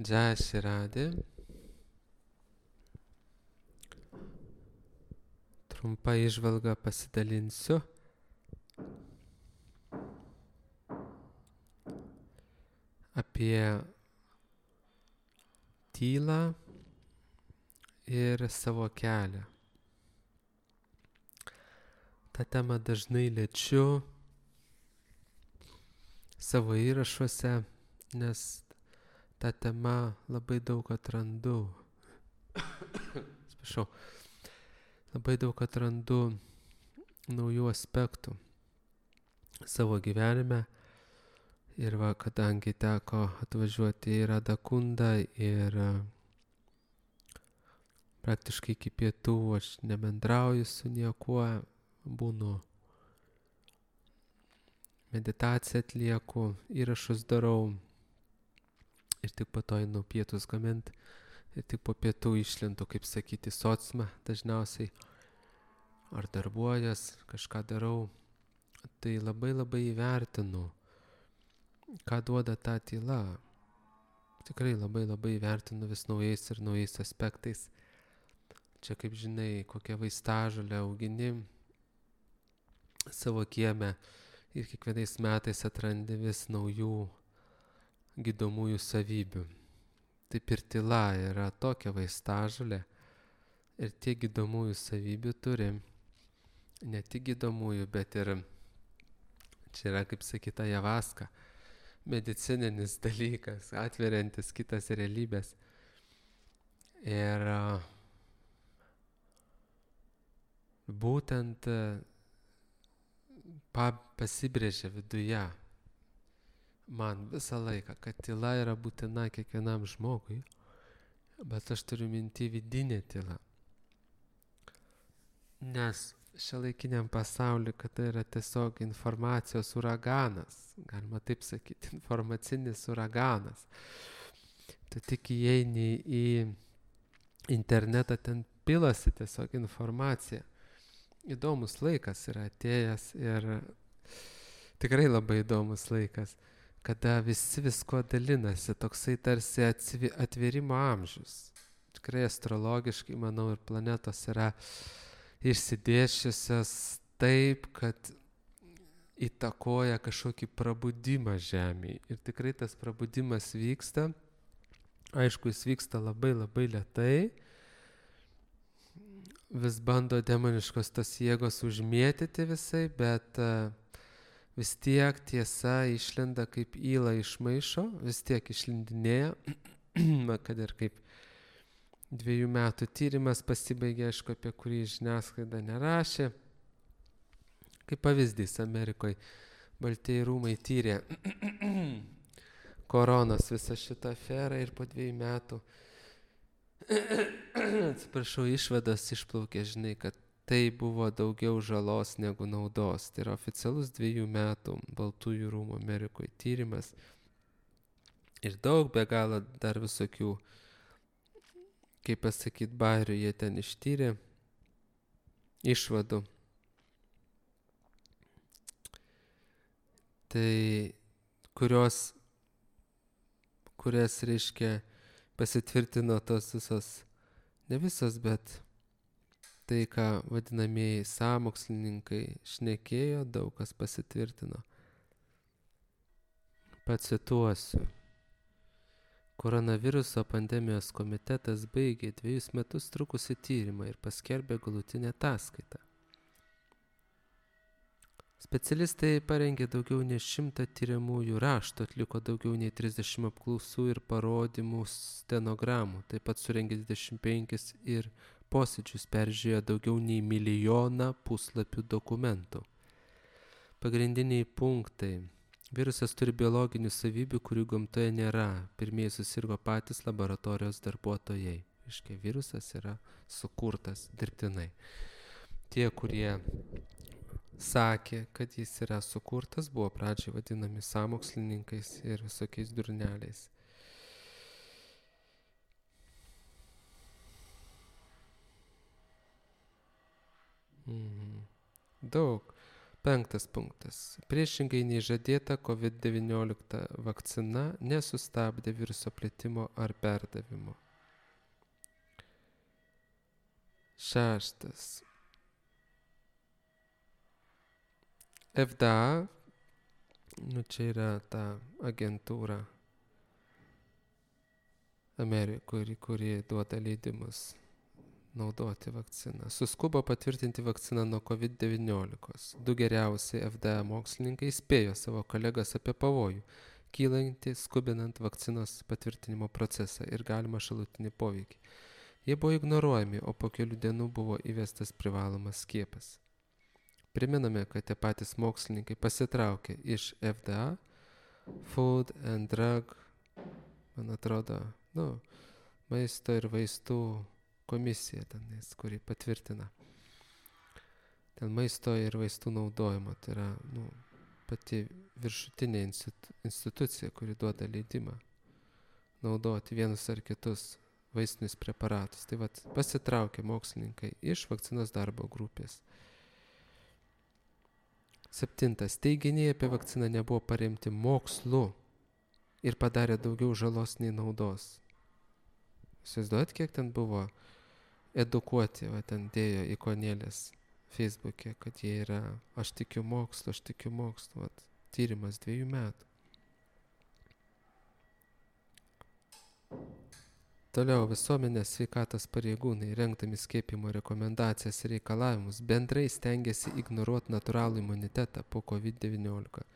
Jai Shri Radhe. Trumpa įžvalga pasidalinsiu. Apie tylą ir savo kelią. Ta tema dažnai liečiu savo įrašuose, nes ta tema labai daug atrandu. Atsiprašau. Labai daug atrandu naujų aspektų savo gyvenime. Ir va, kadangi teko atvažiuoti į Radhakundą ir praktiškai iki pietų aš nebendrauju su niekuo, būnu meditaciją atlieku, įrašus darau ir tik po to einu pietus gamint ir tik po pietų išlendu, kaip sakyti, sociumą dažniausiai ar darbuojas, kažką darau. Tai labai įvertinu, ką duoda ta tyla. Tikrai labai įvertinu vis naujais ir naujais aspektais. Čia, kaip žinai, kokią vaistažolę augini savo kieme ir kiekvienais metais atrandi vis naujų gydomųjų savybių. Taip ir tyla yra tokia vaistažolė ir tiek gydomųjų savybių turi. Ne tik gydomųjų, bet ir čia yra, kaip sakyta, ajavaska, medicininis dalykas, atveriantis kitas realybės. Ir būtent pasibrėžia viduje man visą laiką, kad tyla yra būtina kiekvienam žmogui, bet aš turiu minti vidinę tylą. Nes šiuolaikiniam pasauliu, kad tai yra tiesiog informacijos uraganas, galima taip sakyti, informacinis uraganas. Tu tik įeini į internetą, ten pilasi tiesiog informacija. Įdomus laikas yra atėjęs ir tikrai labai įdomus laikas, kada visi visko dalinasi, toksai tarsi atvėrimo amžius. Tikrai astrologiškai, manau, ir planetos yra išsidėsčiusios taip, kad įtakoja kažkokį prabudimą Žemėje. Ir tikrai tas prabudimas vyksta. Aišku, jis vyksta labai lėtai. Vis bando demoniškos tos jėgos užmėtyti visai, bet vis tiek tiesa išlenda kaip yla iš maišo, vis tiek išlindinėja, kad ir kaip 2 metų tyrimas pasibaigė, aišku, apie kurį žiniasklaida nerašė. Kaip pavyzdys, Amerikoje Baltieji rūmai tyrė koronos visą šitą aferą ir po 2 metų atsiprašau, išvados išplaukė, žinai, kad tai buvo daugiau žalos negu naudos. Tai yra oficialus 2 metų Baltųjų rūmų Amerikoje tyrimas. Ir daug be galo dar visokių, kaip pasakyti, bairių jie ten ištyrė išvadų. Tai kurias reiškia pasitvirtino tos visos, ne visos, bet tai, ką vadinamieji sąmokslininkai šnekėjo, daug kas pasitvirtino. Pacituosiu. Koronaviruso pandemijos komitetas baigė 2 metus trukusį tyrimą ir paskelbė galutinę ataskaitą. Specialistai parengė daugiau nei 100 tyriamųjų raštų, atliko daugiau nei 30 apklausų ir parodymų stenogramų, taip pat surengė 25 ir posėdžius, peržiūrėjo daugiau nei 1 milijoną puslapių dokumentų. Pagrindiniai punktai. Virusas turi biologinių savybių, kurių gamtoje nėra. Pirmieji susirgo patys laboratorijos darbuotojai. Reiškia, virusas yra sukurtas dirbtinai. Tie, kurie sakė, kad jis yra sukurtas, buvo pradžiai vadinami sąmokslininkais ir visokiais durneliais. Daug. 5 punktas. Priešingai nei žadėta, COVID-19 vakcina nesustabdė viruso plitimo ar perdavimo. 6. FDA, čia yra ta agentūra Amerikoje, kuri duoda leidimus naudoti vakciną. Suskubo patvirtinti vakciną nuo COVID-19. 2 geriausiai FDA mokslininkai įspėjo savo kolegas apie pavojų, kylantį skubinant vakcinos patvirtinimo procesą ir galimą šalutinį poveikį. Jie buvo ignoruojami, o po kelių dienų buvo įvestas privalomas skiepas. Priminame, kad tie patys mokslininkai pasitraukė iš FDA, Food and Drug, man atrodo, maisto ir vaistų komisija tenais, kuri patvirtina ten maisto ir vaistų naudojimo. Tai yra pati viršutinė institucija, kuri duoda leidimą naudoti vienus ar kitus vaistinius preparatus. Tai pasitraukė mokslininkai iš vakcinos darbo grupės. 7. Teiginiai apie vakciną nebuvo paremti mokslu ir padarė daugiau žalos nei naudos. Įsivaizduojat, kiek ten buvo edukuoti, ten dėjo ikonėlės Facebook'e, kad jie yra, aš tikiu mokslu, tyrimas 2 metų. Toliau visuomenės sveikatos pareigūnai, rengdami skiepimo rekomendacijas ir reikalavimus, bendrai stengiasi ignoruoti natūralų imunitetą po COVID-19.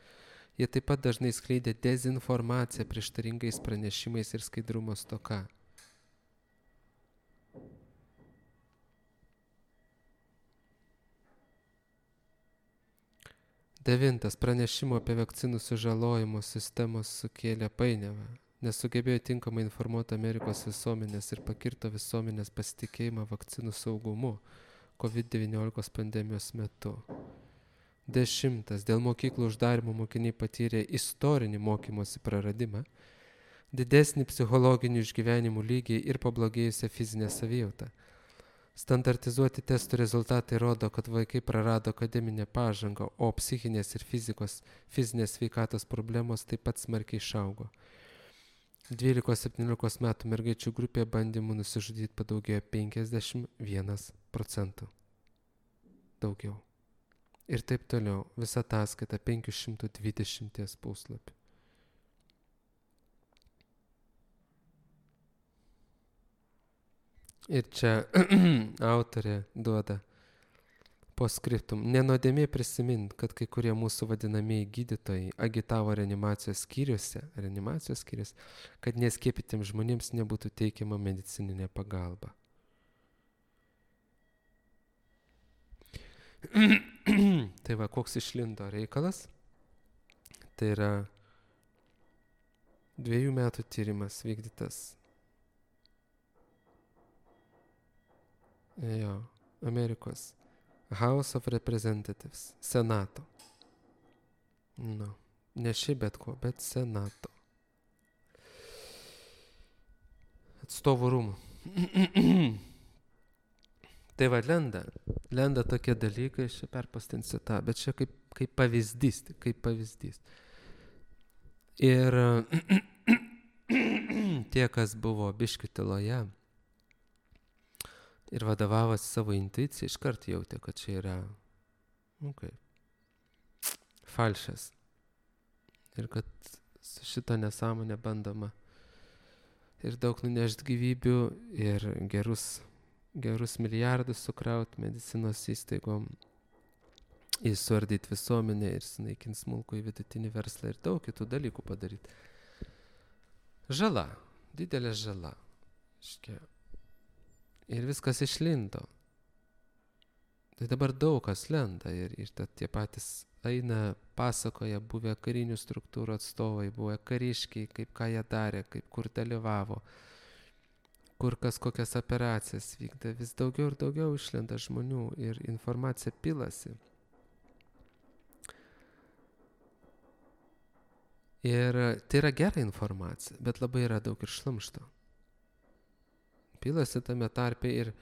Jie taip pat dažnai skleidė dezinformaciją prieštaringais pranešimais ir skaidrumo stoka. 9. Pranešimo apie vakcinų sužalojimo sistemos sukėlė painiavą, nesugebėjo tinkamai informuoti Amerikos visuomenės ir pakirto visuomenės pasitikėjimą vakcinų saugumu COVID-19 pandemijos metu. 10. Dėl mokyklų uždarimo mokiniai patyrė istorinį mokymosi praradimą, didesnį psichologinių išgyvenimų lygį ir pablogėjusią fizinę savijautą. Standartizuoti testų rezultatai rodo, kad vaikai prarado akademinę pažangą, o psichinės ir fizinės sveikatos problemos taip pat smarkiai išaugo. 12-17 metų mergaičių grupėje bandymų nusižudyti padaugėjo 51%. Daugiau. Ir taip toliau. Visa ataskaita 520 puslapių. Ir čia autorė duoda postscriptum. Nenuodėmė prisimint, kad kai kurie mūsų vadinamieji gydytojai agitavo reanimacijos skyriuose, kad neskiepytiems žmonėms nebūtų teikiama medicininė pagalba. Tai koks išlindo reikalas? Tai yra 2 metų tyrimas vykdytas Amerikos House of Representatives, Senato. Ne šiaip bet ko, bet Senato. Atstovų rūmų. Tai lenda tokie dalykai, aš čia perpastinsiu tą, bet čia kaip pavyzdys. Ir tie, kas buvo biškių tyloje ir vadovavosi savo intuiciją, iškart jautė, kad čia yra falšas. Ir kad su šito nesąmonė bandoma ir daug nunešti gyvybių, ir gerus milijardus sukrauti medicinos įstaigom, įsuardyti visuomenę ir sunaikinti smulkų į vidutinį verslą ir daug kitų dalykų padaryti. Žala, didelė žala. Ir viskas išlindo. Tai dabar daug kas lenda ir tie patys eina, pasakoja buvę karinių struktūrų atstovai, buvę kariškiai, kaip ką jie darė, kaip kur dalyvavo, kur kas kokias operacijas vykdė. Vis daugiau ir daugiau išlenda žmonių ir informacija pilasi. Ir tai yra gera informacija, bet labai yra daug ir šlamšto. Pilasi tame tarpe ir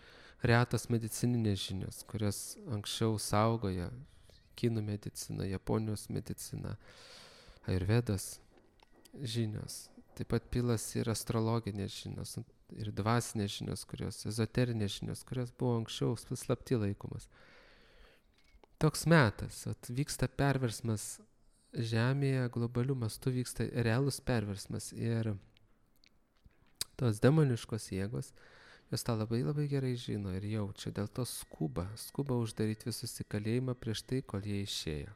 retos medicininės žinios, kurios anksčiau saugoja kinų medicina, Japonijos medicina, ajurvedos žinios. Taip pat pilasi ir astrologinės žinios, ir dvasinės žinios, ezoterinės žinios, kurios buvo anksčiau slapti laikomas. Toks metas, vyksta perversmas Žemėje, globalių mastų vyksta realus perversmas ir tos demoniškos jėgos, jos tą labai labai gerai žino ir jaučia, dėl to skuba uždaryti visus į kalėjimą prieš tai, kol jie išėjo.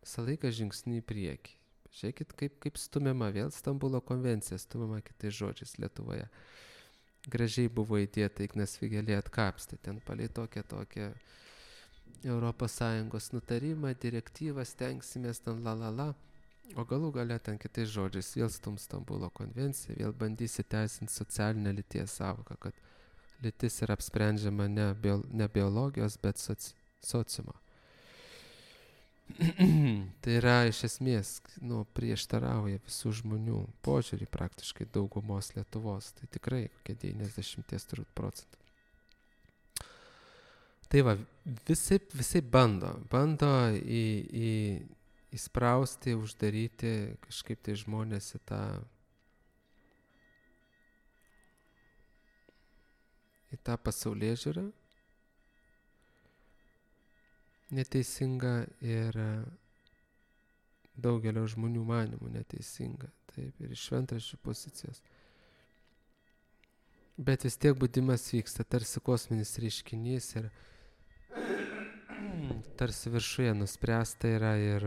Visą laiką žingsnį į priekį. Žiūrėkit, kaip stumiama vėl Stambulo konvencija, stumiama kitais žodžiais Lietuvoje. Gražiai buvo įdėta, Ignas Vėgėlė atkapstė, ten palei tokią ES nutarimą, direktyvą, stengsimės ten o galų gale ten kitais žodžiais vėl stums Stambulo konvenciją, vėl bandys įteisinti socialinę lyties sąvoką, kad lytis yra apsprendžiama ne biologijos, bet sociumo. Tai yra iš esmės prieštarauja visų žmonių požiūrį praktiškai daugumos Lietuvos, tai tikrai kokie 90% procentų. Tai va, visi bando įsprausti, uždaryti kažkaip tai žmonės į tą pasaulėžiūrą neteisinga ir daugelio žmonių manymų neteisinga, taip, ir iš šventraščių pozicijos. Bet vis tiek budimas vyksta, tarsi kosminis reiškinys ir tarsi viršuje nuspręsta yra ir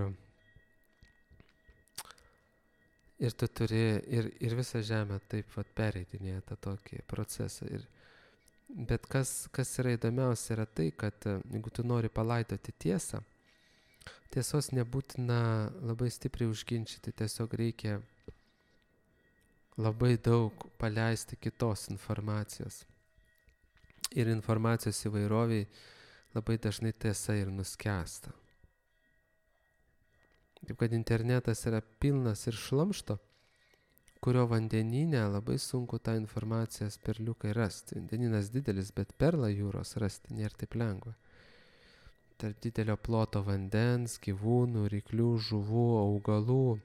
tu turi ir visą žemę taip pereidinėja tą tokį procesą. Bet kas yra įdomiausia yra tai, kad jeigu tu nori palaidoti tiesą, tiesos nebūtina labai stipriai užginčyti, tiesiog reikia labai daug paleisti kitos informacijos. Ir informacijos įvairoviai labai dažnai tiesa ir nuskęsta. Taip kad internetas yra pilnas ir šlamšto, kurio vandenyne labai sunku tą informacijos perliukai rasti. Vandenynas didelis, bet perlą jūros rasti nėra taip lengva. Tarp didelio ploto vandens, gyvūnų, ryklių, žuvų, augalų,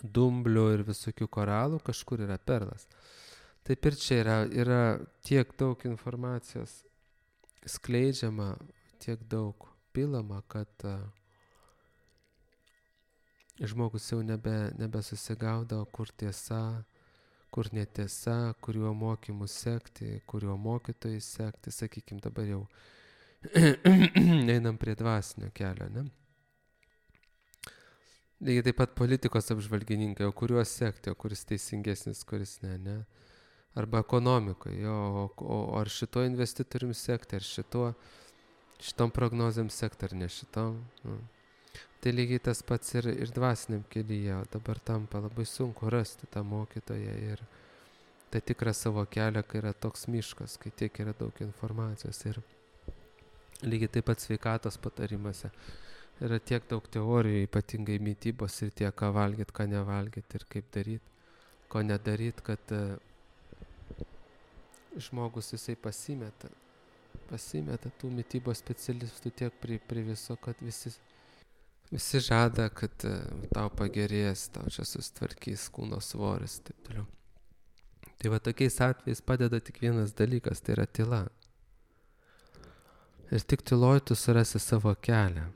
dumblių ir visokių koralų kažkur yra perlas. Taip ir čia yra tiek daug informacijos skleidžiama, tiek daug pilama, kad žmogus jau nebesusigaudo, kur tiesa, kur netiesa, kuriuo mokymu sekti, kuriuo mokytojai sekti, sakykim, dabar jau einam prie dvasinio kelio, ne? Lygiai taip pat politikos apžvalgininkai, o kuriuos sekti, o kuris teisingesnis, kuris ne? Arba ekonomikoje, o ar šito investitorium sekti, ar šitom prognozėm sekti, ar ne šitom. Tai lygiai tas pats ir dvasiniam kelyje, dabar tampa labai sunku rasti tą mokytoją ir tą tikrą savo kelią, kai yra toks miškas, kai tiek yra daug informacijos. Ir lygiai taip pat sveikatos patarimuose yra tiek daug teorijų, ypatingai mitybos ir tiek, ką valgyt, ką nevalgyt ir kaip daryt, ko nedaryt, kad žmogus jisai pasimeta tų mitybos specialistų tiek prie viso, kad visi žada, kad tau pagerės, tau čia susitvarkys kūno svoris, taip toliau. Tai va tokiais atvejais padeda tik vienas dalykas, tai yra tyla. Ir tik tyloj tu surasi savo kelią.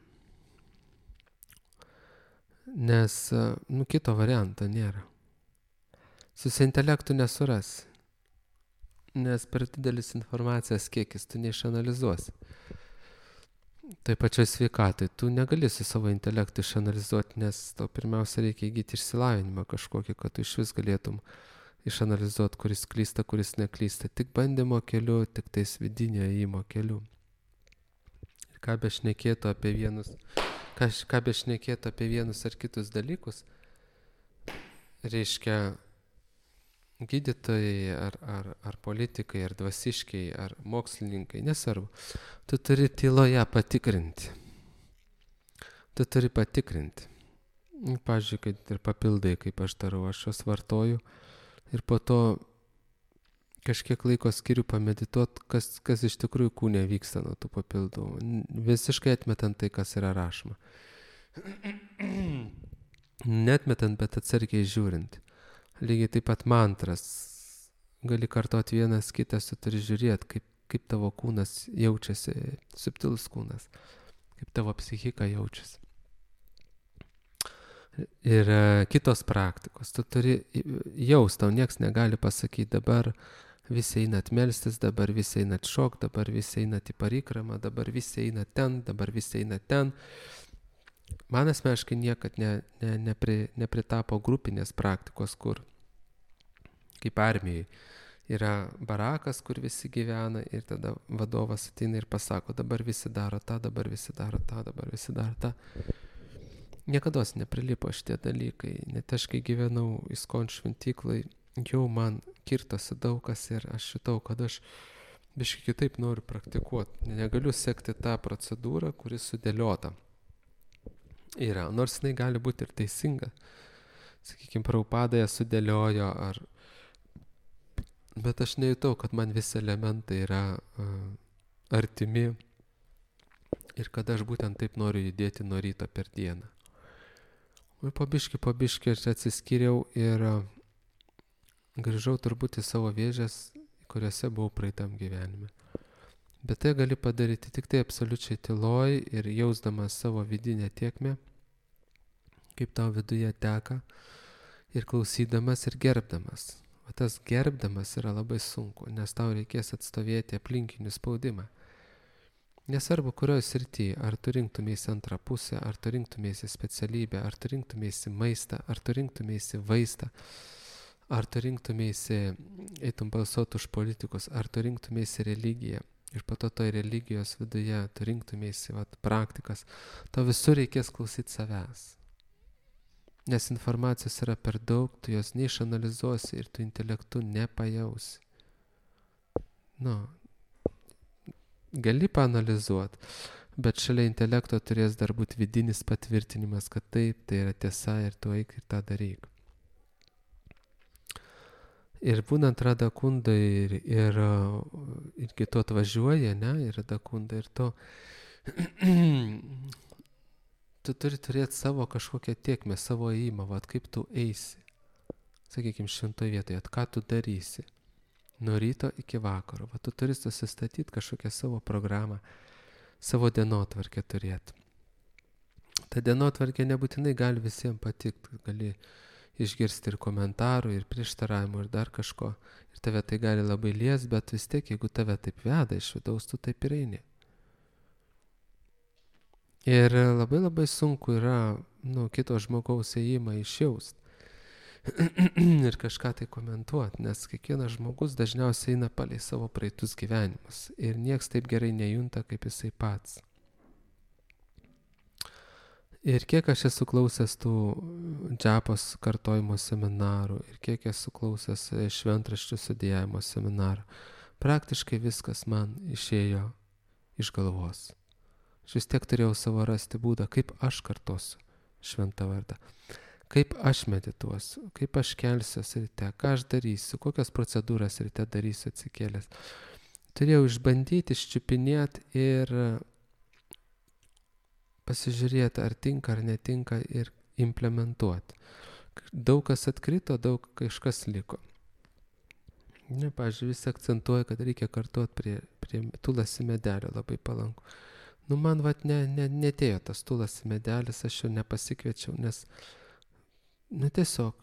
Nes, kito varianto nėra. Su intelektu nesurasi. Nes per didelis informacijos kiekis tu neišanalizuosi. Tai pačioj sveikatai tu negali su savo intelektu išanalizuoti, nes tau pirmiausia reikia įgyti išsilavinimą kažkokį, kad tu iš vis galėtum išanalizuoti, kuris klysta, kuris neklysta. Tik bandymo keliu, tik tais vidinio ėjimo keliu. Ir ką bešnekėtų apie vienus ar kitus dalykus, reiškia gydytojai ar politikai, ar dvasiškiai, ar mokslininkai, nesvarbu. Tu turi tyloje patikrinti. Pavyzdžiui, kad ir papildai, kaip aš darau, aš juos vartoju ir po to kažkiek laiko skiriu pamedituot, kas iš tikrųjų kūne vyksta nuo tų papildų, visiškai atmetant tai, kas yra rašoma. Netmetant, bet atsargiai žiūrint. Lygiai taip pat mantras. Gali kartot vienas kitas, tu turi žiūrėti, kaip tavo kūnas jaučiasi, subtilus kūnas, kaip tavo psichika jaučiasi. Ir kitos praktikos. Tu turi jaust, tau nieks negali pasakyti, dabar visi einat melstis, dabar visi einat šok, dabar visi einat į parikramą, dabar visi einat ten, dabar visi einat ten. Man asmeniškai niekad nepritapo grupinės praktikos, kur kaip armijai yra barakas, kur visi gyvena ir tada vadovas ateina ir pasako, dabar visi daro tą, dabar visi daro tą, dabar visi daro tą. Niekados neprilipo šitie dalykai, net aš kai gyvenau ISKCON šventyklai, jau man kirtosi daug kas ir aš šitau, kad aš biškai kitaip noriu praktikuoti. Negaliu sekti tą procedūrą, kuri sudėliota yra, nors jinai gali būti ir teisinga. Sakykime, Prabhupada ją sudėliojo, bet aš nejutau, kad man visi elementai yra artimi ir kad aš būtent taip noriu judėti nuo ryto per dieną. Ir po biškį aš atsiskyriau ir grįžau turbūt į savo vėžes, kuriuose buvau praeitam gyvenime. Bet tai gali padaryti tik tai absoliučiai tyloj ir jausdamas savo vidinę tėkmę, kaip tau viduje teka, ir klausydamas ir gerbdamas. O tas gerbdamas yra labai sunku, nes tau reikės atstovėti aplinkinių spaudimą. Nesvarbu, kurioje srityje, ar tu rinktumėsi antrą pusę, ar tu rinktumėsi specialybę, ar tu rinktumėsi maistą, ar tu rinktumėsi vaistą, ar tu rinktumėsi, eitum balsuoti už politikus, ar tu rinktumėsi religiją. Ir po to toj religijos viduje tu rinktumėsi praktikas, tau visur reikės klausyti savęs. Nes informacijos yra per daug, tu jos neišanalizuosi ir tu intelektu nepajausi. Gali paanalizuoti, bet šalia intelekto turės dar būti vidinis patvirtinimas, kad taip, tai yra tiesa ir tu eik ir tą daryk. Ir būnant Radakunda ir kitu atvažiuoja, ir Radakunda ir to, tu turi turėti savo kažkokią tiekmę, savo ėjimą, kaip tu eisi. Sakykime, šventoje vietoje, ką tu darysi. Nuo ryto iki vakaro. Tu turi susistatyti kažkokią savo programą, savo dienotvarkę turėti. Ta dienotvarkė nebūtinai gali visiems patikti, gali išgirsti ir komentarų, ir prieštaravimų, ir dar kažko. Ir tave tai gali labai lies, bet vis tiek, jeigu tave taip veda iš vidaus, tu taip ir eini. Ir labai labai sunku yra kito žmogaus ėjimą išjaust. Ir kažką tai komentuoti, nes kiekvienas žmogus dažniausiai eina palei savo praeitus gyvenimus. Ir nieks taip gerai nejunta, kaip jisai pats. Ir kiek aš esu klausęs tų džapos kartojimo seminarų ir kiek esu klausęs šventraščių studijavimo seminarų, praktiškai viskas man išėjo iš galvos. Aš vis tiek turėjau savo rasti būdą, kaip aš kartosiu šventą vardą, kaip aš medituosiu, kaip aš kelsiuosi ryte, ką aš darysiu, kokias procedūras ryte darysiu atsikėlęs. Turėjau išbandyti, iščiupinėti ir pasižiūrėti, ar tinka, ar netinka ir implementuoti. Daug kas atkrito, daug kažkas liko. Pavyzdžiui, visi akcentuoja, kad reikia kartuoti prie tulasi medelio, labai palanku. Man netėjo tas tulasi medelis, aš jo nepasikviečiau, nes tiesiog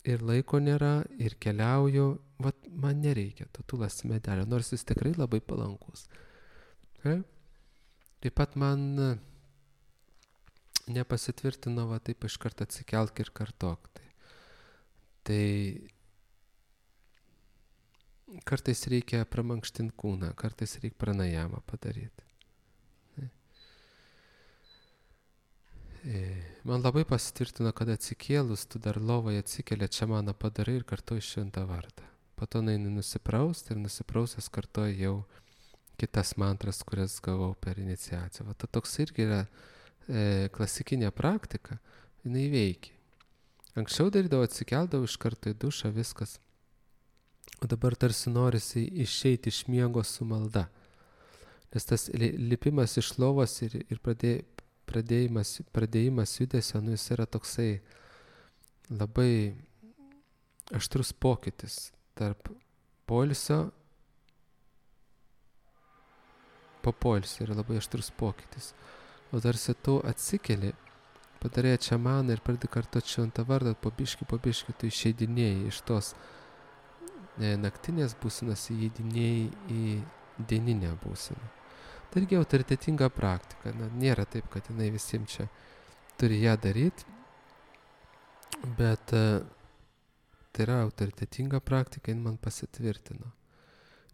ir laiko nėra, ir keliauju, man nereikia to tulasi medelio, nors jis tikrai labai palankus. Taip pat man nepasitvirtino taip iš karto atsikelk ir kartok. Tai kartais reikia pramankštinti kūną, kartais reikia pranajamą padaryti. Man labai pasitvirtino, kad atsikėlus, tu dar lovoje atsikeli, čia maną padarai ir kartuoji šventą vardą. Po to eini nusiprausti ir nusiprausęs kartuoji jau kitas mantras, kurias gavau per iniciaciją. Toks irgi yra klasikinė praktika, jinai veikia. Anksčiau darydavau, atsikeldavau iš karto į dušą, viskas. o dabar tarsi norisi išeiti iš miego su malda. Nes tas lipimas iš lovos ir pradėjimas judesio, nu, jis yra toksai labai aštrus pokytis tarp poilsio, po poilsio yra labai aštrus pokytis. O tarsi tu atsikeli, padarai čamaną ir pradedi kartot šventą vardą, po biškį tu išeidinėjai iš tos naktinės būsenos, įeidinėjai į dieninę būseną. Tai irgi autoritetinga praktika. Na, nėra taip, kad jinai visiems čia turi ją daryti, bet tai yra autoritetinga praktika, jin man pasitvirtino.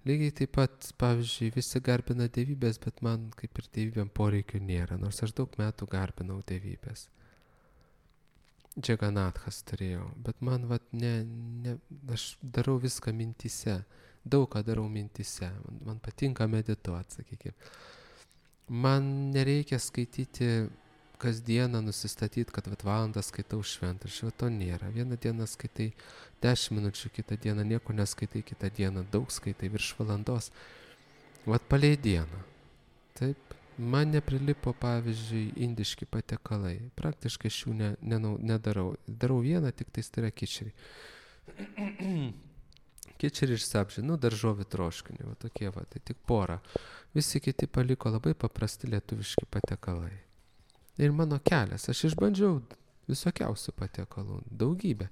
Lygiai taip pat, pavyzdžiui, visi garbina dievybės, bet man kaip ir dievybėm poreikių nėra, nors aš daug metų garbinau dievybės. Džaganathas turėjau, bet man aš darau viską mintyse, daug ką darau mintyse, man patinka medituoti, sakykime. Man nereikia skaityti kasdieną, nusistatyti, kad valandą skaitau šventraštį, to nėra. Vieną dieną skaitai 10 minučių, kitą dieną nieko neskaitai, kitą dieną daug skaitai, virš valandos. Palei dieną. Taip, man neprilipo, pavyzdžiui, indiški patiekalai. Praktiškai šių nedarau. Darau vieną, tik tai yra kičeriai. Kičeriai ir sabžiai, daržovių troškinį, tokie, tai tik porą. Visi kiti paliko labai paprasti lietuviški patiekalai. Ir mano kelias, aš išbandžiau visokiausių patiekalų, daugybę.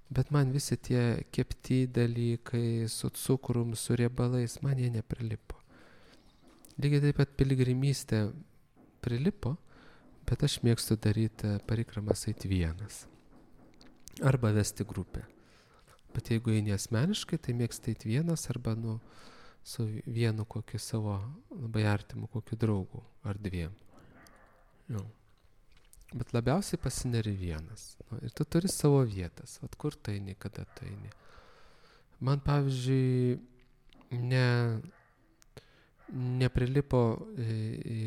Bet man visi tie kepti dalykai su cukrum, su riebalais, man jie neprilipo. Lygiai taip pat piligrimystė prilipo, bet aš mėgstu daryti parikramas eiti vienas. Arba vesti grupę. Bet jeigu eini asmeniškai, tai mėgstu eiti vienas arba su vienu kokiu savo labai artimu kokiu draugu ar dviem. Jau. Bet labiausiai pasineri vienas. Ir tu turi savo vietas. Kur tu eini, kada tu eini. Man, pavyzdžiui, neprilipo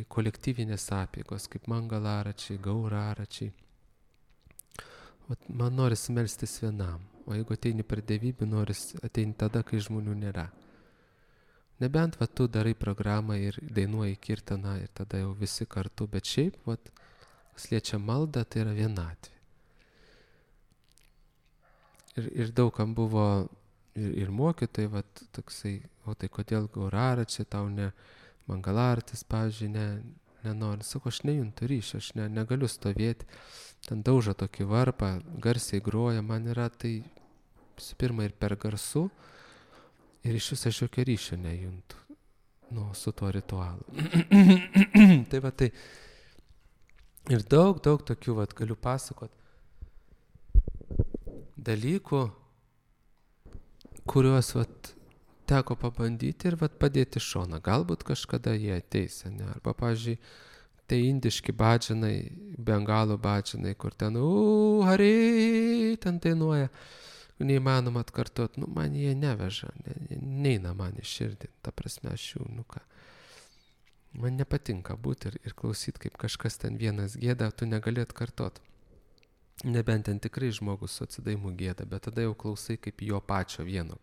kolektyvinės apeigos, kaip mangalaračiai, gauraračiai. Man norisi melstis vienam. O jeigu ateini per dievybę, norisi ateini tada, kai žmonių nėra. Nebent tu darai programą ir dainuoji kirtaną ir tada jau visi kartu, bet šiaip, kas liečia maldą, tai yra vienatvė. Ir daugam buvo ir mokytojai, toksai, tai kodėl gauraračiai tau ne mangalartis, pavyzdžiui, nenori. Sako, aš nejuntu ryšio, aš negaliu stovėti, ten daužo tokį varpą, garsiai groja, man yra tai su pirma ir per garsu, ir iš viso aš jokio ryšio nejuntu su tuo ritualu. Tai ir daug tokių galiu pasakot dalykų, kuriuos teko pabandyti ir padėti šoną. Galbūt kažkada jie ateis, ne? Arba, pavyzdžiui, tai indiški badžinai, bengalų badžinai, kur ten hari, ten dainuoja. Neįmanoma atkartot, man jie neveža, neina man į širdį, ta prasme aš jų, man nepatinka būti ir klausyti, kaip kažkas ten vienas gėda, tu negali atkartot. Nebent ten tikrai žmogus su atsidaimu gėda, bet tada jau klausai kaip jo pačio vieno,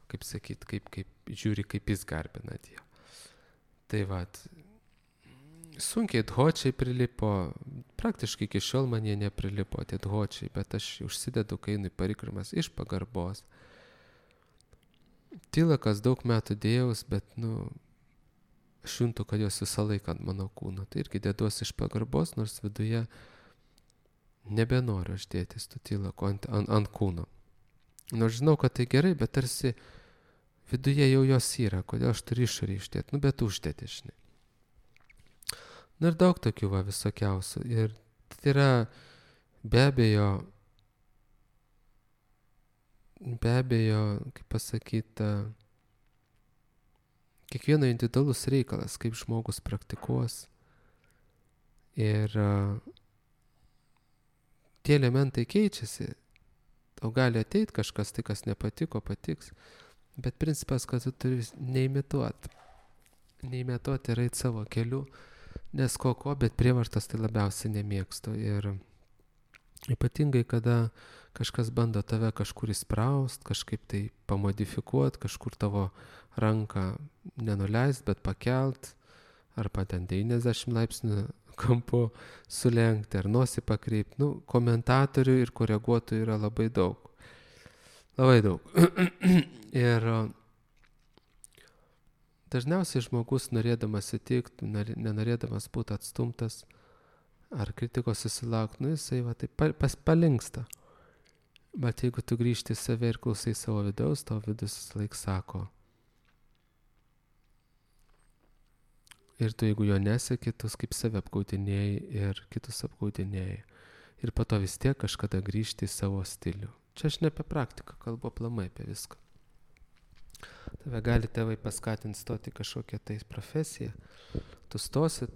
kaip sakyt, kaip žiūri, kaip jis garbina Dievą. Tai sunkiai dhočiai prilipo, praktiškai iki šiol man jie neprilipo, tie dhočiai, bet aš užsidedu, kai einu į parikramas iš pagarbos. Tilakas daug metų dėjaus, bet, aš juntu, kad jos visą laiką ant mano kūno. Tai irgi deduosi iš pagarbos, nors viduje nebenoriu aš dėtis tų tilako ant kūno. Nors žinau, kad tai gerai, bet tarsi viduje jau jos yra, kodėl aš turiu išorį išdėti, bet uždėti, žinai. Ir daug tokių visokiausių. Ir tai yra be abejo, kaip pasakyta, kiekvieno individualus reikalas, kaip žmogus praktikuos. Ir tie elementai keičiasi. Tau gali ateiti kažkas, tai kas nepatiko, patiks. Bet principas, kad tu turi neimituoti. Neimituoti ir eiti savo keliu. Nes bet prievartos tai labiausiai nemėgstu. Ir Ypatingai, kada kažkas bando tave kažkur įspraust, kažkaip tai pamodifikuot, kažkur tavo ranką nenuleist, bet pakelt, arba ten 90 laipsnių kampu sulenkti, ar nosį pakreipti. Komentatorių ir koreguotojų yra labai daug. Labai daug. Ir dažniausiai žmogus, norėdamas įtikti, nenorėdamas būti atstumtas, ar kritikos susilaukti, jisai va taip palinksta. Bet jeigu tu grįžti į save ir klausai savo vidaus, tavo vidus laik sako. Ir tu, jeigu jo neseki, tu kaip save apgaudinėjai ir kitus apgaudinėjai. Ir po to vis tiek kažkada grįžti į savo stilių. Čia aš ne apie praktiką, kalbu aplamai apie viską. Tave gali tėvai paskatinti stoti kažkokią tai profesiją. Tu stosi,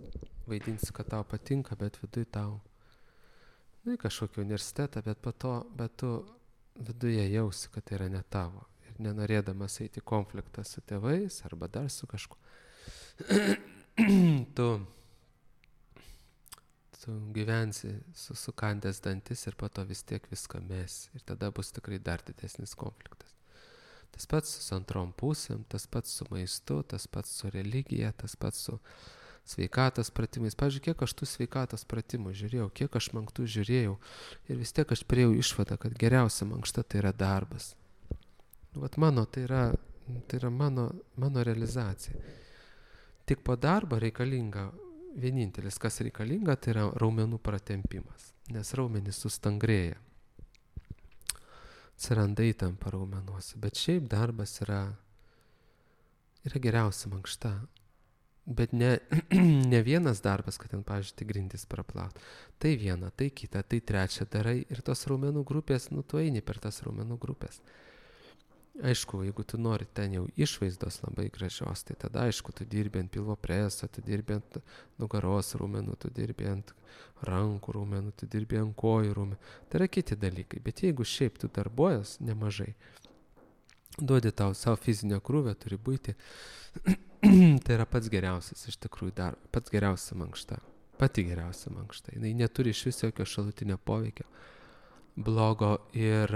vaidinsi, kad tau patinka, bet viduj tau, į kažkokį universitetą, bet tu viduje jausi, kad tai yra ne tavo. Ir nenorėdamas eiti konfliktą su tėvais arba dar su kažkuo, tu gyvensi sukandęs dantis ir po to vis tiek viską mesi. Ir tada bus tikrai dar didesnis konfliktas. Tas pats su antrom pusėm, tas pats su maistu, tas pats su religija, tas pats su sveikatos pratimais. Pavyzdžiui, kiek aš tų sveikatos pratimų žiūrėjau, kiek aš mankštų žiūrėjau ir vis tiek aš priėjau išvadą, kad geriausia mankšta tai yra darbas. Vat tai yra mano realizacija. Tik po darbo reikalinga, vienintelis, kas reikalinga, tai yra raumenų pratempimas, nes raumenys sustangrėja. Atsiranda įtampa raumenuose, bet šiaip darbas yra geriausia mankšta. Bet ne vienas darbas, kad ten, pavyzdžiui, tai grindis praplaut. Tai viena, tai kita, tai trečia darai ir tos raumenų grupės, tu eini per tas raumenų grupės. Aišku, jeigu tu nori ten jau išvaizdos labai gražios, tai tada aišku, tu dirbi ant pilvo preso, tu dirbi ant nugaros raumenų, tu dirbi ant rankų raumenų, tu dirbi ant kojų raumenų. Tai yra kiti dalykai, bet jeigu šiaip tu darbuojas nemažai, duodi tau savo fizinio krūvio, turi būti, tai yra pats geriausias iš tikrųjų pats geriausia mankšta, pati geriausia mankšta. Jis neturi iš vis jokio šalutinio poveikio blogo ir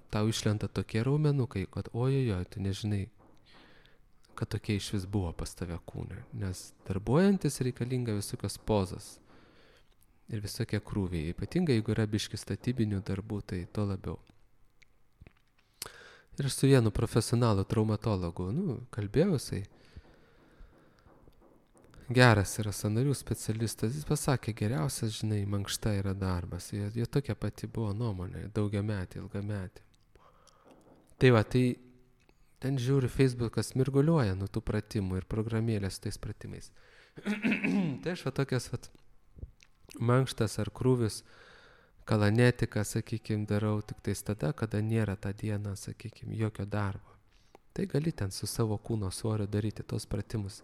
tau išlenda tokie raumenukai, kad ojojoj, tu nežinai, kad tokie iš vis buvo pas tave kūne. Nes darbuojantis reikalinga visokios pozos ir visokie krūviai. Ypatingai, jeigu yra biški statybinių darbų, tai to labiau. Ir aš su vienu profesionalu traumatologu, kalbėjausiai. Geras yra sąnarių specialistas, jis pasakė, geriausias, žinai, mankšta yra darbas. Jo tokia pati buvo nuomonė, daugiametė, ilgametė. Tai va, tai ten žiūri, Facebookas mirguliuoja nuo tų pratimų ir programėlės su tais pratimais. Tai aš va tokias mankštas ar krūvis, kalanetiką, sakykime, darau tik tais tada, kada nėra tą dieną, sakykime, jokio darbo. Tai gali ten su savo kūno svoriu daryti tos pratimus.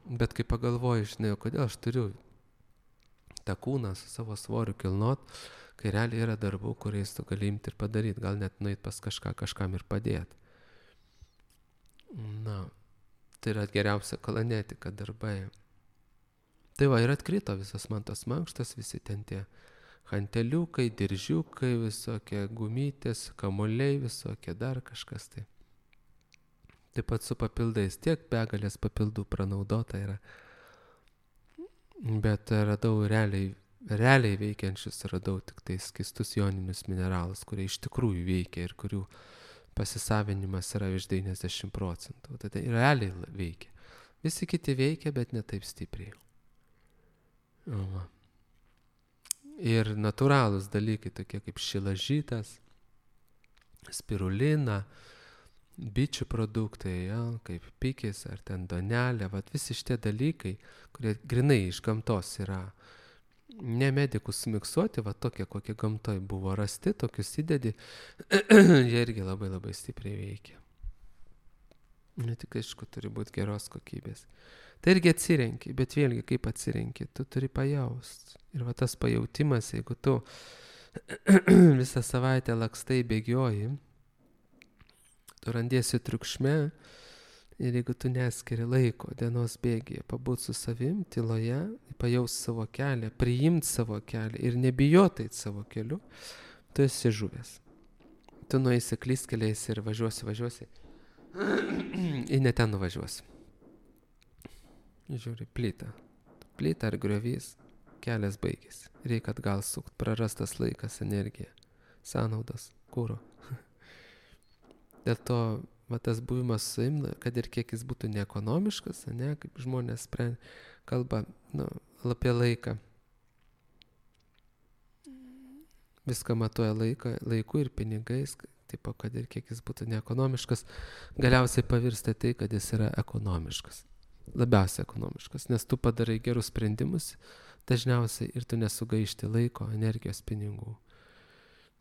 Bet kai pagalvoju, žinai, kodėl aš turiu tą kūną su savo svoriu kilnot, kai realiai yra darbų, kuriais tu gali imti ir padaryti, gal net nueit pas kažkam ir padėti. Tai yra geriausia kalanetika darbai. Tai va, ir atkrito visas man tas mankštas, visi ten tie hanteliukai, diržiukai, visokie gumytės, kamuoliai, visokie dar kažkas tai. Taip pat su papildais, tiek begalės papildų pranaudota yra. Bet radau realiai veikiančius, radau tik tai skystus joninius mineralus, kurie iš tikrųjų veikia ir kurių pasisavinimas yra virš 90%. Tai realiai veikia. Visi kiti veikia, bet ne taip stipriai. Ir natūralūs dalykai, tokie kaip šilažytas, spirulina, bičių produktai, kaip pikis ar ten donelė, visi šitie dalykai, kurie grinai iš gamtos yra ne medikų sumiksuoti, tokie, kokie gamtoj buvo rasti, tokius įdedi, jie irgi labai labai stipriai veikia. Ne tik, aišku, turi būti geros kokybės. Tai irgi atsirenki, bet vėlgi kaip atsirenki, tu turi pajaust. Ir tas pajautimas, jeigu tu visą savaitę lakstai bėgioji, tu randiesi triukšme Ir jeigu tu neskiri laiko dienos bėgyje, pabūt su savim, tyloje, pajaus savo kelią, priimt savo kelią ir nebijot eit savo keliu, tu esi žuvęs. Tu nueisi klystkeliais ir važiuosi. Ir ne ten nuvažiuosi. Žiūri, plyta ar griovys, kelias baigėsi. Reikia atgal sukt, prarastas laikas, energija, sąnaudos, kūro. Dėl to tas buvimas su savim, kad ir kiek jis būtų neekonomiškas, ne, kaip žmonės kalba apie laiką. Viską matuoja laiku ir pinigais, tipo, kad ir kiek jis būtų neekonomiškas, galiausiai pavirsta tai, kad jis yra ekonomiškas. Labiausiai ekonomiškas, nes tu padarai gerus sprendimus dažniausiai ir tu nesugaišti laiko, energijos, pinigų.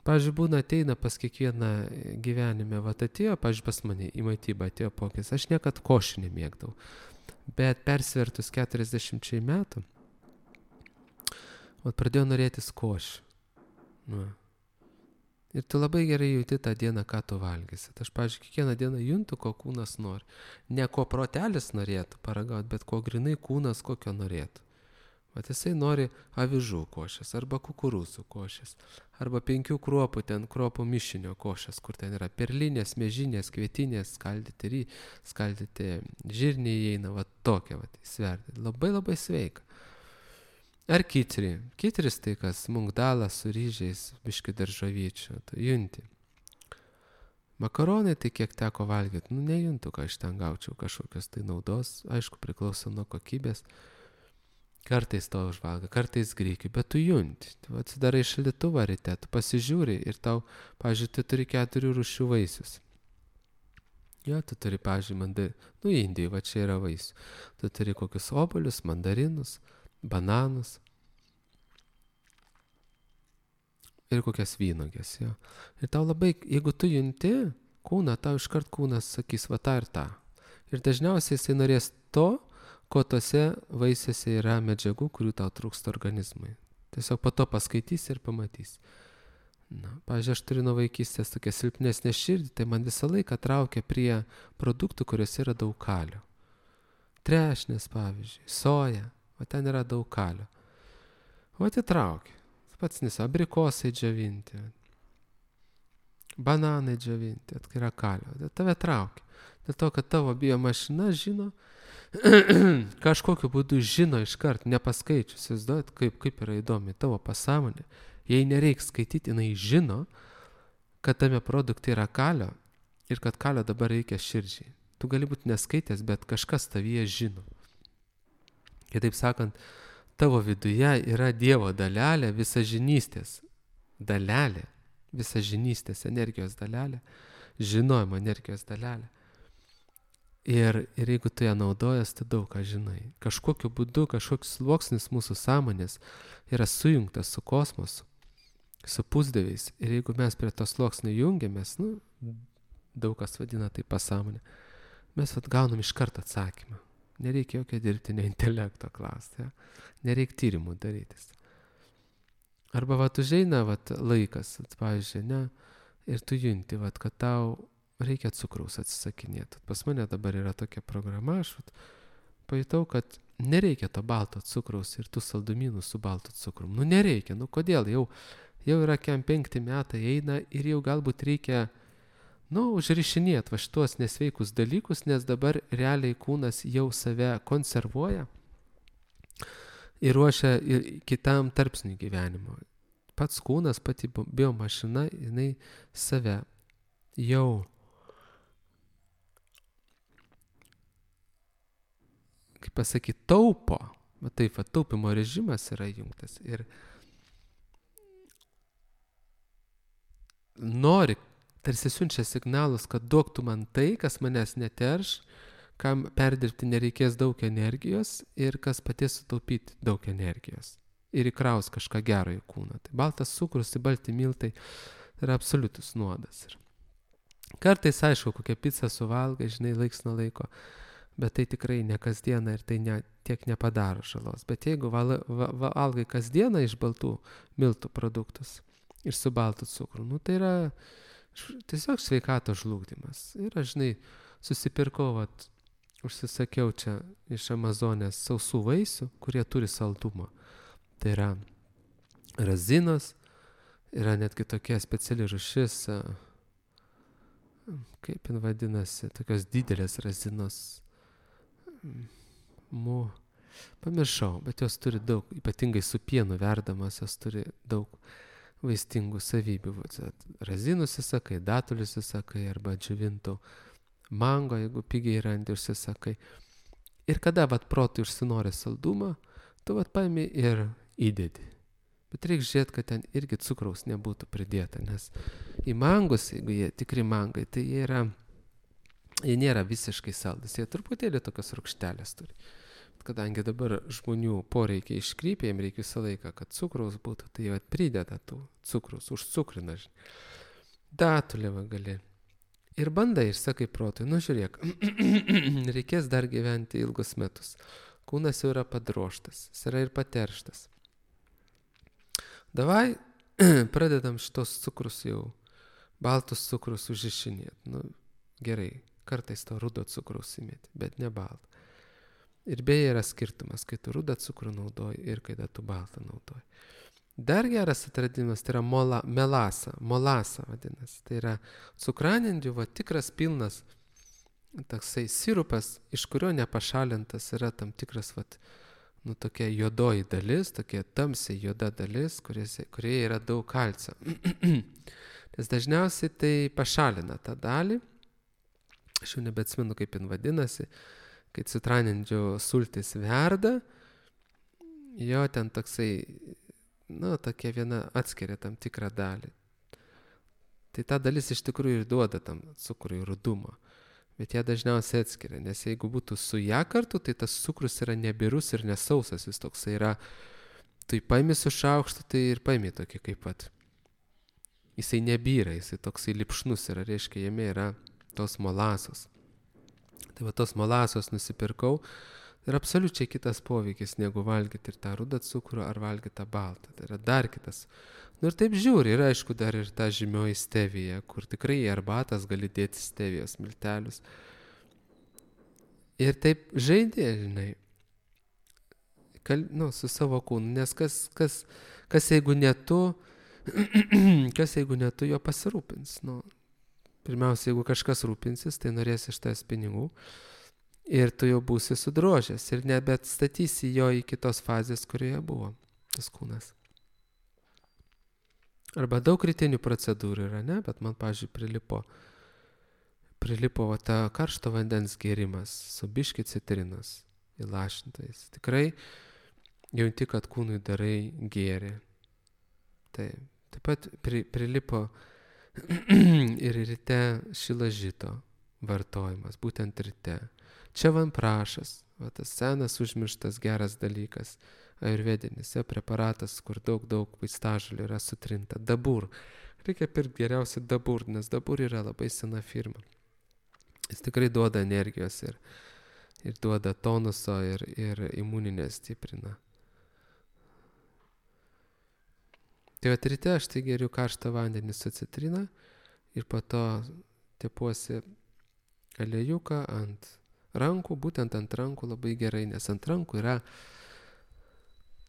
Pavyzdžiui, būna ateina pas kiekvieną gyvenime, atėjo, pavyzdžiui, pas mane į maitybą atėjo pokės, aš niekad košį nemėgdavau, bet persvertus 40 metų, pradėjau norėtis košį. Ir tu labai gerai jauti tą dieną, ką tu valgysi. Aš, pavyzdžiui, kiekvieną dieną juntu, ko kūnas nori. Ne ko protelis norėtų paragauti, bet ko grinai kūnas kokio norėtų. Jisai nori avižų košės, arba kukurūzų košės, arba 5 kruopų mišinio košės, kur ten yra perlinės, miežinės, kvietinės, skaldyti žirniai įeina, tokia, sverti. Labai labai sveika. Ar kitri. Kitris tai kas, mungdalas su ryžiais, biški daržovyčių, junti. Makaronai tai kiek teko valgyti, nejuntu, ką iš ten gaučiau kažkokios tai naudos, aišku, priklauso nuo kokybės. Kartais to užvalga, kartais grikių, bet tu junti. Tu atsidarai šaldytuvą ryte, tu pasižiūri ir tau, pavyzdžiui, tu turi 4 rūšių vaisius. Jo, tu turi, pavyzdžiui, Indijai, čia yra vaisių. Tu turi kokius obuolius, mandarinus, bananus ir kokias vynogės, jo. Ir tau labai, jeigu tu junti kūną, tau iškart kūnas sakys, tą ir tą. Ir dažniausiai jisai norės to, ko tose vaisiuose yra medžiagų, kurių tau trūksta organizmui. Tiesiog po to paskaitysi ir pamatysi. Pavyzdžiui, aš turiu nuo vaikystės tokią silpnesnę širdį, tai man visą laiką traukia prie produktų, kuriuose yra daug kalio. Trešnės, pavyzdžiui, soja, ten yra daug kalio. Įtraukia. Pats abrikosai džiovinti, bananai džiovinti, kai yra kalio. Tave traukia. Dėl to, kad tavo biomašina žino, kažkokiu būdu žino iškart, nepaskaičius, įsivaizduojat, kaip yra įdomi tavo pasąmonė. Jei nereiks skaityti, jinai žino, kad tame produkte yra kalio ir kad kalio dabar reikia širdžiai. Tu gali būti neskaitęs, bet kažkas tavyje žino. Kitaip sakant, tavo viduje yra Dievo dalelė, visažinystės dalelė, visažinystės energijos dalelė, žinojimo energijos dalelė. Ir jeigu tu ją naudojas, tu daug ką žinai. Kažkokiu būdu, kažkoks sluoksnis mūsų sąmonės yra sujungtas su kosmosu, su pusdieviais. Ir jeigu mes prie to sluoksnio jungiamės, daug kas vadina tai pasąmonė, mes gaunam iš karto atsakymą. Nereikia jokio dirbtinio intelekto klausti, ja? Nereikia tyrimų darytis. Arba užeina laikas, pavyzdžiui, ir tu junti, kad tau reikia cukraus atsisakinėti. Pas mane dabar yra tokia programa, aš pajutau, kad nereikia to balto cukraus ir tų saldumynų su baltu cukrum. Nereikia, kodėl? Jau yra 5 metai eina ir jau galbūt reikia, užrišinėti šitos nesveikus dalykus, nes dabar realiai kūnas jau save konservuoja ir ruošia kitam tarpsniui gyvenimo. Pats kūnas, pati biomašina, jinai save jau kaip pasakyti, taupo. Taip, taupimo režimas yra įjungtas ir nori, tarsi siunčia signalus, kad duok tu man tai, kas manęs neterš, kam perdirbti nereikės daug energijos ir kas padės sutaupyti daug energijos ir įkraus kažką gero į kūną. Tai baltas cukrus, tai balti miltai yra absoliutus nuodas. Ir kartais, aišku, kokią pizzą suvalgai, žinai, laiks nuo laiko, bet tai tikrai ne kasdieną ir tai tiek nepadaro žalos. Bet jeigu valgai kasdieną iš baltų miltų produktus ir su baltu cukru, tai yra tiesiog sveikatos žlugdymas. Ir aš, žinai, susipirkau užsisakiau čia iš Amazonės sausų vaisių, kurie turi saldumą. Tai yra razinos, yra netgi tokia speciali rūšis, kaip jin vadinasi, tokios didelės razinos. Pamiršau, bet jos turi daug, ypatingai su pienu verdamas, jos turi daug vaistingų savybių. Razinų užsisakai, datulių užsisakai arba džiovintų mango, jeigu pigiai randi, užsisakai. Ir kada protui užsinori saldumą, tu paimi ir įdedi. Bet reikia žiūrėti, kad ten irgi cukraus nebūtų pridėta, nes į mangus, jeigu jie tikri mangai, tai jie nėra visiškai saldus, jie truputėlį tokios rūgštelės turi. Kadangi dabar žmonių poreikiai iškrypia, jiems reikia visą laiką, kad cukraus būtų, tai jie prideda tų cukraus, užcukrina. Datulė gali. Ir bandai, ir sakai protui, žiūrėk, reikės dar gyventi ilgus metus. Kūnas jau yra padroštas, jis yra ir paterštas. Davai, pradedam šitos cukrus jau, baltus cukrus užišinėti. Gerai, kartais to rudo cukraus įmėti, bet ne baltą. Ir beje yra skirtumas, kai tu rudą cukrų naudoji ir kai tu baltą naudoji. Dar geras atradimas tai yra molasa vadinasi. Tai yra cukranendrių tikras pilnas toksai sirupas, iš kurio nepašalintas yra tam tikras tokia juodoji dalis, tokia tamsiai juoda dalis, kurioje yra daug kalcio. Nes dažniausiai tai pašalina tą dalį, aš jau nebeatsimenu, kaip jin vadinasi, kai citranendrių sultis verda, jo ten toksai, tokia viena atskiria tam tikrą dalį. Tai ta dalis iš tikrųjų ir duoda tam cukrui rudumą, bet ją dažniausiai atskiria, nes jeigu būtų su ją kartu, tai tas cukrus yra nebirus ir nesausas, jis toksai yra, tu paimi su šaukštu, tai ir paimi tokį kaip jisai nebyra, jisai toksai lipšnus yra, reiškia, jame yra tos molasos. Tai tos molasos nusipirkau ir absoliučiai kitas poveikis, negu valgyti ir tą rudą cukrų ar valgyti tą baltą. Tai yra dar kitas. Ir taip žiūri, ir aišku dar ir ta žymioji stevija, kur tikrai į arbatas gali dėti stevijos miltelius. Ir taip žaidė, žinai, su savo kūnu, nes kas jeigu ne tu, kas jeigu ne tu jo pasirūpins, Pirmiausia, jeigu kažkas rūpinsis, tai norės iš tavęs pinigų ir tu jau būsi sudrožęs ir nebeatstatysi jo į kitos fazės, kurioje buvo tas kūnas. Arba daug rytinių procedūrų yra, ne? Bet man, pavyzdžiui, prilipo ta karšto vandens gėrimas su biški citrinos įlašintais. Tikrai jauti, kad kūnui darai gėrį. Taip pat prilipo ir ryte šilažito vartojimas, būtent ryte. Čia vanprašas, tas senas užmirštas geras dalykas, ajurvedinis preparatas, kur daug vaistažolių yra sutrinta. Dabur. Reikia pirkti geriausiai dabur, nes dabur yra labai sena firma. Jis tikrai duoda energijos ir duoda tonuso ir imuninę stiprina. Tai ryte aš tai geriu karštą vandenį su citrina ir po to tepuosi aliejuką ant rankų, būtent ant rankų labai gerai, nes ant rankų yra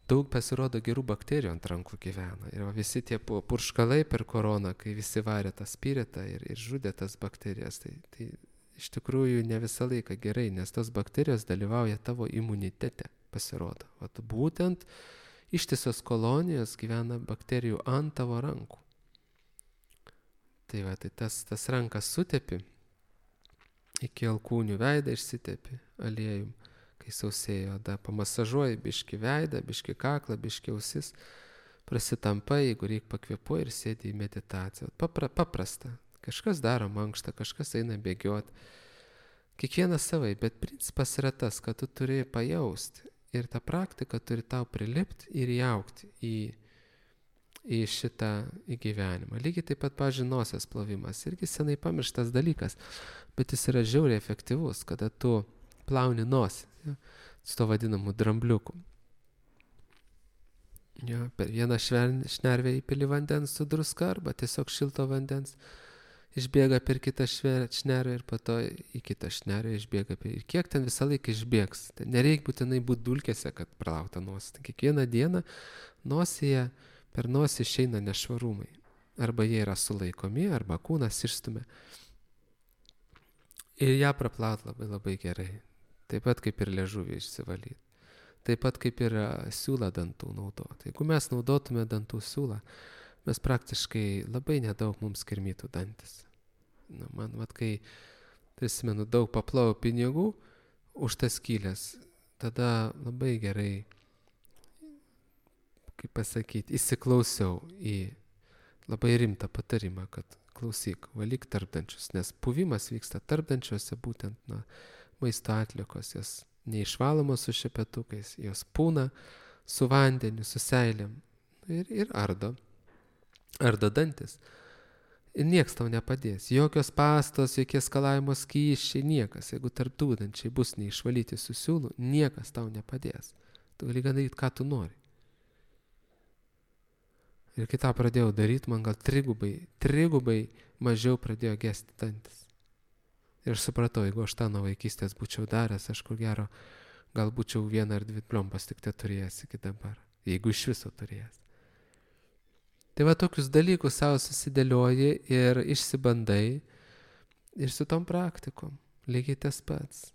daug pasirodo gerų bakterijų ant rankų gyvena. Ir visi tie purškalai per koroną, kai visi varė tą spiritą ir žudė tas bakterijas, tai iš tikrųjų ne visą laiką gerai, nes tos bakterijos dalyvauja tavo imunitete, pasirodo. Būtent ištisos kolonijos gyvena bakterijų ant tavo rankų. Tai tas rankas sutepi, iki alkūnių veidą išsitepi aliejum, kai sausėjo oda, pamasažuoji biški veidą, biški kaklą, biški ausis, prasitampai, jeigu reikia pakvėpuoji ir sėdi į meditaciją. Paprasta. Kažkas daro mankštą, kažkas eina bėgioti. Kiekvienas savai, bet principas yra tas, kad tu turi pajausti. Ir ta praktika turi tau prilipti ir įaugti į šitą gyvenimą. Lygiai taip pat, pavyzdžiui, nosies plovimas. Irgi senai pamirštas dalykas, bet jis yra žiauriai efektyvus, kada tu plauni nosį, su to vadinamu drambliuku. Per vieną šnervę įpili vandens su druska arba tiesiog šilto vandens išbėga per kitą šnerą ir po to į kitą šnerą išbėga. Ir kiek ten visą laiką išbėgs. Tai nereikia būtinai būti dulkėse, kad pralauta nosį. Tai kiekvieną dieną nosyje per nosį išeina nešvarumai. Arba jie yra sulaikomi, arba kūnas išstumia. Ir ją praplaut labai labai gerai. Taip pat kaip ir liežuvį išsivalyti. Taip pat kaip ir siūlą dantų naudoti. Jeigu mes naudotume dantų siūlą, mes praktiškai labai nedaug mums kirmytų dantis. Man, kai prisimenu, daug paplovau pinigų už tas skylės, tada labai gerai, kaip pasakyti, įsiklausiau į labai rimtą patarimą, kad klausyk, valyk tarpdančius, nes puvimas vyksta tarpdančiuose, būtent maisto atliekos, jos neišvalomos su šepetukais, jos pūna su vandeniu, su seilėm ir ardo dantis. Ir nieks tau nepadės. Jokios pastos, jokie skalavimo skysčiai, niekas. Jeigu tarpdūdančiai bus neišvalyti su siūlu, niekas tau nepadės. Tu gali daryti, ką tu nori. Ir kai tą pradėjau daryti, man gal trigubai mažiau pradėjo gesti dantis. Ir aš supratau, jeigu aš tą nuo vaikystės būčiau daręs, aš ko gero, gal būčiau 1 ar 2 plompas tik te turėjęs iki dabar. Jeigu iš viso turėjęs. Tai va tokius dalykus savo susidėlioji ir išsibandai ir su tom praktikom. Lygiai tas pats.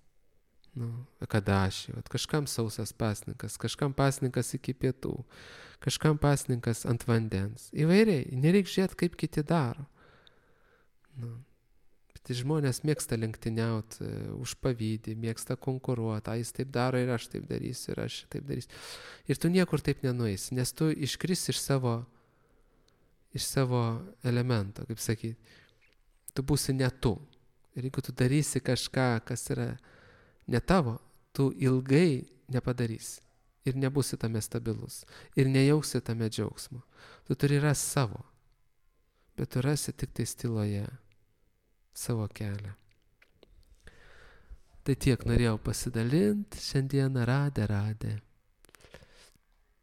Kadaši, kažkam sausas pasninkas, kažkam pasninkas iki pietų, kažkam pasninkas ant vandens. Įvairiai, nereikia žiūrėti, kaip kiti daro. Bet žmonės mėgsta lenktyniauti už pavydį, mėgsta konkuruoti, jis taip daro ir aš taip darysiu, ir aš taip darysiu. Ir tu niekur taip nenueisi, nes tu iškrisi iš savo elemento, kaip sakyti, tu būsi ne tu. Ir jeigu tu darysi kažką, kas yra ne tavo, tu ilgai nepadarysi. Ir nebūsi tame stabilus. Ir nejausi tame džiaugsmo. Tu turi rasti savo. Bet tu rasi tik tai tyloje savo kelią. Tai tiek norėjau pasidalinti. Šiandieną radė.